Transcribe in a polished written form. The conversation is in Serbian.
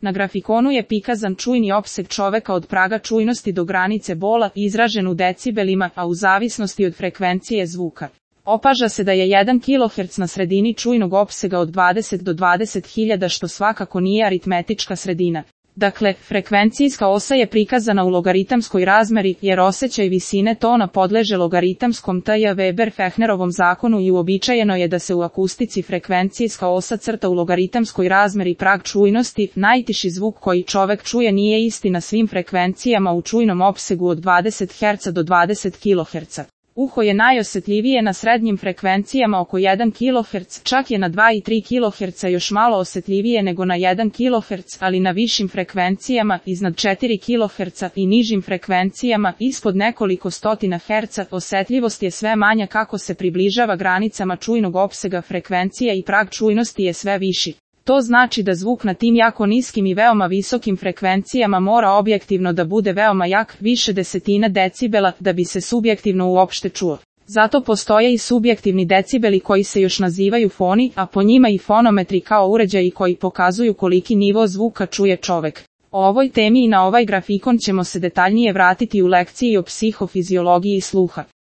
Na grafikonu je prikazan čujni opseg čoveka od praga čujnosti do granice bola, izražen u decibelima, a u zavisnosti od frekvencije zvuka. Opaža se da je 1 kHz na sredini čujnog opsega od 20 do 20.000, što svakako nije aritmetička sredina. Dakle, frekvencijska osa je prikazana u logaritamskoj razmeri, jer osjećaj visine tona podleže logaritamskom T.J. Weber-Fechnerovom zakonu i uobičajeno je da se u akustici frekvencijska osa crta u logaritamskoj razmeri prag čujnosti. Najtiši zvuk koji čovek čuje nije isti na svim frekvencijama u čujnom opsegu od 20 Hz do 20 kHz. Uho je najosjetljivije na srednjim frekvencijama oko 1 kHz, čak je na 2 i 3 kHz još malo osjetljivije nego na 1 kHz, ali na višim frekvencijama, iznad 4 kHz i nižim frekvencijama, ispod nekoliko stotina Hz, osjetljivost je sve manja kako se približava granicama čujnog opsega frekvencija i prag čujnosti je sve viši. To znači da zvuk na tim jako niskim i veoma visokim frekvencijama mora objektivno da bude veoma jak, više desetina decibela, da bi se subjektivno uopšte čuo. Zato postoje i subjektivni decibeli koji se još nazivaju foni, a po njima i fonometri kao uređaji koji pokazuju koliki nivo zvuka čuje čovek. O ovoj temi i na ovaj grafikon ćemo se detaljnije vratiti u lekciji o psihofiziologiji sluha.